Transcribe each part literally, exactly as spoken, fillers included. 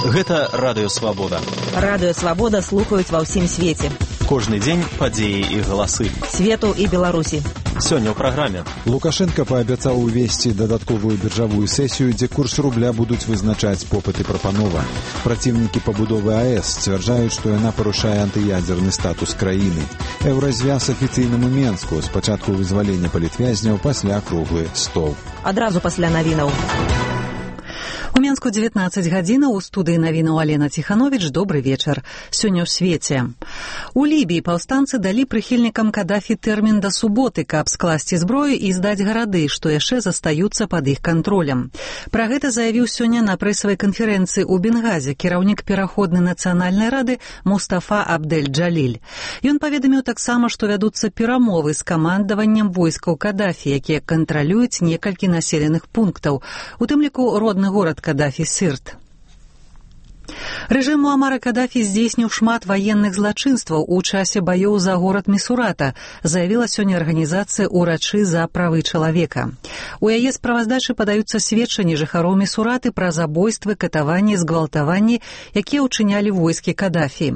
Гэта Радыё Свабода. Радыё Свабода слухаюць ва ўсім свеце. Кожны дзень падзеі і галасы. Свету і Беларусі. Сёння ў праграме. Лукашенко паабяцаў увесці дадатковую біржавую сесію, дзе курс рубля будуць вызначаць попыт і прапанова. Праціўнікі пабудовы АЭС сцвярджаюць, што яна парушае антыядзерны статус краіны. Еўразвяз афіцыйнаму Менску, спачатку вызвалення палітвязняў, пасля круглы стол. Адразу пасля навінаў. У Менску дзевятнаццаць гадзінаў, у студыі навінаў Алена Ціхановіч. Добры вечар. Сёння ў свеце. У Лібіі паўстанцы далі прыхільнікам Кадафі тэрмін да суботы, каб скласці зброю і здаць гарады, што яшчэ застаюцца пад іх кантролем. Пра гэта заявіў сёння на прэсавай канферэнцыі ў Бенгазе кіраўнік пераходнай нацыянальнай рады Мустафа Абдель-Джаліль. Ён паведаміў таксама, што вядуцца перамовы з камандаваннем войскаў Кадафі, якія кантралююць некалькі населеных пунктаў, у тым ліку родны горад Кадафі Сырт. Рэжым Муамара Кадафі здзейсніў шмат ваенных злачынстваў у часе баёў за горад Місурата, заявіла сёння арганізацыя «Урачы за правы чалавека». У яе справаздачы падаюцца сведчанні жыхароў Місураты пра забойствы, катаванні, згвалтаванні, якія ўчынялі войскі Кадафі.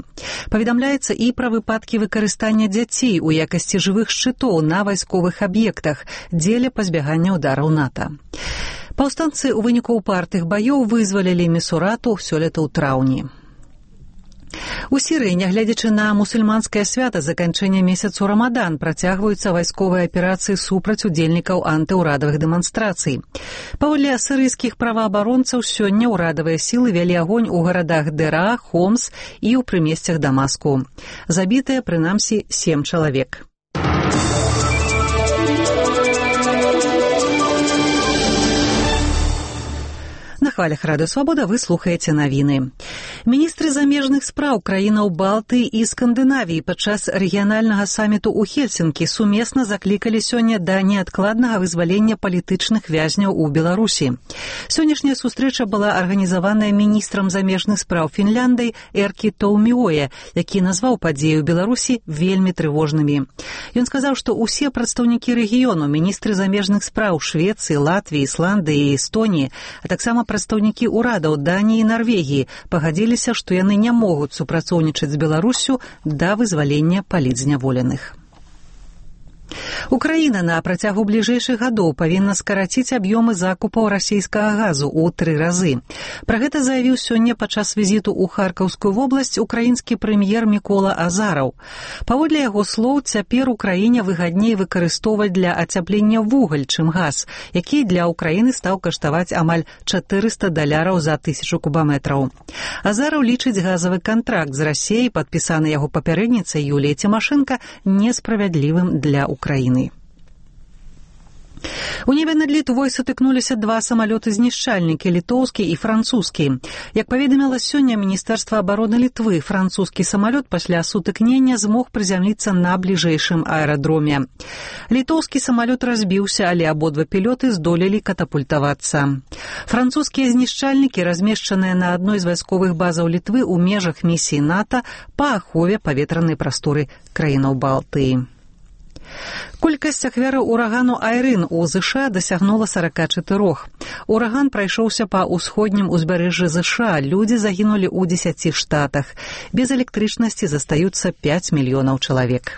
Паведамляецца і пра выпадкі выкарыстання дзяцей у якасці жывых шчытоў на вайсковых аб'ектах дзеля пазбягання ўдараў НАТО. Паўстанцы ў выніку упартых баёў вызвалілі Місурату сёлета ў траўні. У Сірыі, нягледзячы на мусульманскае свята заканчэння месяцу Рамадан, працягваюцца вайсковыя аперацыі супраць удзельнікаў антыўрадавых дэманстрацый. Паводле сірыйскіх праваабаронцаў, сёння ўрадавыя сілы вялі агонь у гарадах Дэра, Хомс і ў прымесцях Дамаску. Забітыя, прынамсі, сем чалавек. На хвалях Радыё Свабода вы слухаеце навіны. Міністры замежных спраў краінаў Балтыі і Скандынавіі падчас рэгіянальнага саміту ў Хельсінкі сумесна заклікалі сёння да неадкладнага вызвалення палітычных вязняў у Беларусі. Сённяшняя сустрэча была арганізаваная міністрам замежных спраў Фінляндыі Эркі Тоуміоэ, які назваў падзеі ў Беларусі вельмі трывожнымі. Ён сказаў, што ўсе прадстаўнікі рэгіёну, міністры замежных спраў Швецыі, Латвіі, Ісландыі і Эстоніі, а таксама прадстаўнікі ўрадаў Даніі і Нарвегіі пагадзіліся, што яны не могуць супрацоўнічаць з Беларуссю да вызвалення палітзняволеных. Украіна на працягу бліжэйшых гадоў павінна скараціць аб'ёмы закупаў расійскага газу ў тры разы. Пра гэта заявіў сёння падчас візіту ў Харкаўскую вобласць украінскі прэм'ер Мікола Азараў. Паводле яго слоў, цяпер Украіне выгадней выкарыстоўваць для ацяплення вугаль, чым газ, які для Украіны стаў каштаваць амаль чатырыста даляраў за тысячу кубаметраў. Азараў лічыць газавы кантракт з Расіяй, падпісаны яго папярэдніцай Юліяй Цімашэнка, несправядлівым для Украіны. У небе над Літвой сутыкнуліся два самалёты-знішчальнікі, літоўскі і французскі. Як паведаміла сёння Міністэрства абароны Літвы, французскі самалёт пасля сутыкнення змог прызямліцца на бліжэйшым аэрадроме. Літоўскі самалёт разбіўся, але абодва пілоты здолелі катапультавацца. Французскія знішчальнікі размешчаныя на адной з вайсковых базаў Літвы ў межах місіі НАТО па ахове паветранай прасторы краінаў Балтыі. Колькасць ахвяраў урагану Айрын у ЗША дасягнула сорока чатырох. Ураган прайшоўся па ўсходнім узбярэжжы ЗША, людзі загінулі ў дзесяці штатах. Без электрычнасці застаюцца пяць мільёнаў чалавек.